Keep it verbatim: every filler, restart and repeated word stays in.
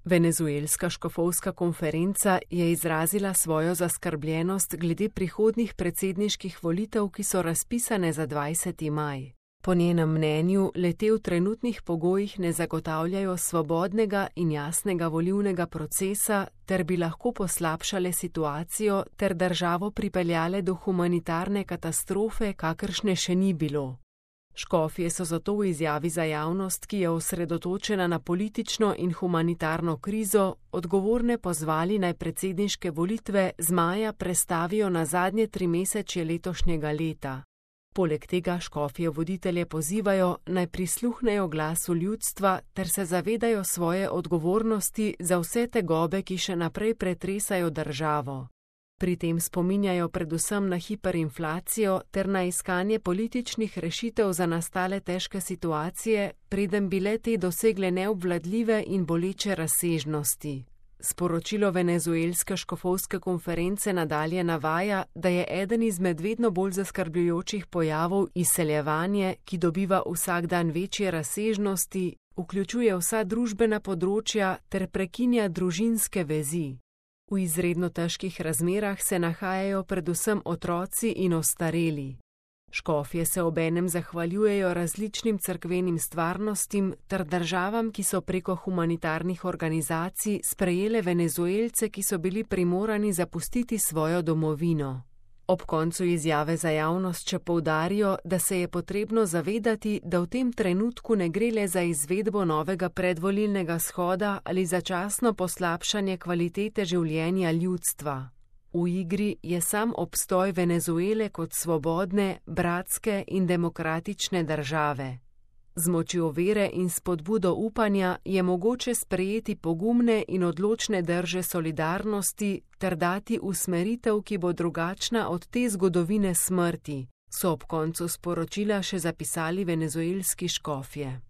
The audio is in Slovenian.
Venezuelska škofovska konferenca je izrazila svojo zaskrbljenost glede prihodnjih predsedniških volitev, ki so razpisane za dvajseti maj. Po njenem mnenju le-te v trenutnih pogojih ne zagotavljajo svobodnega in jasnega volilnega procesa ter bi lahko poslabšale situacijo ter državo pripeljale do humanitarne katastrofe, kakršne še ni bilo. Škofje so zato v izjavi za javnost, ki je osredotočena na politično in humanitarno krizo, odgovorne pozvali naj predsedniške volitve z maja prestavijo na zadnje trimesečje letošnjega leta. Poleg tega škofje voditelje pozivajo, naj prisluhnejo glasu ljudstva ter se zavedajo svoje odgovornosti za vse tegobe, ki še naprej pretresajo državo. Pri tem spominjajo predvsem na hiperinflacijo ter na iskanje političnih rešitev za nastale težke situacije, preden bi le-te dosegle neobvladljive in boleče razsežnosti. Sporočilo venezuelske škofovske konference nadalje navaja, da je eden izmed vedno bolj zaskrbljujočih pojavov izseljevanje, ki dobiva vsak dan večje razsežnosti, vključuje vsa družbena področja ter prekinja družinske vezi. V izredno težkih razmerah se nahajajo predvsem otroci in ostareli. Škofje se obenem zahvaljujejo različnim cerkvenim stvarnostim ter državam, ki so preko humanitarnih organizacij sprejele Venezuelce, ki so bili primorani zapustiti svojo domovino. Ob koncu izjave za javnost še poudarijo, da se je potrebno zavedati, da v tem trenutku ne gre le za izvedbo novega predvolilnega shoda ali začasno poslabšanje kvalitete življenja ljudstva. V igri je sam obstoj Venezuele kot svobodne, bratske in demokratične države. Z močjo vere in spodbudo upanja je mogoče sprejeti pogumne in odločne drže solidarnosti ter dati usmeritev, ki bo drugačna od te zgodovine smrti, so ob koncu sporočila še zapisali venezuelski škofje.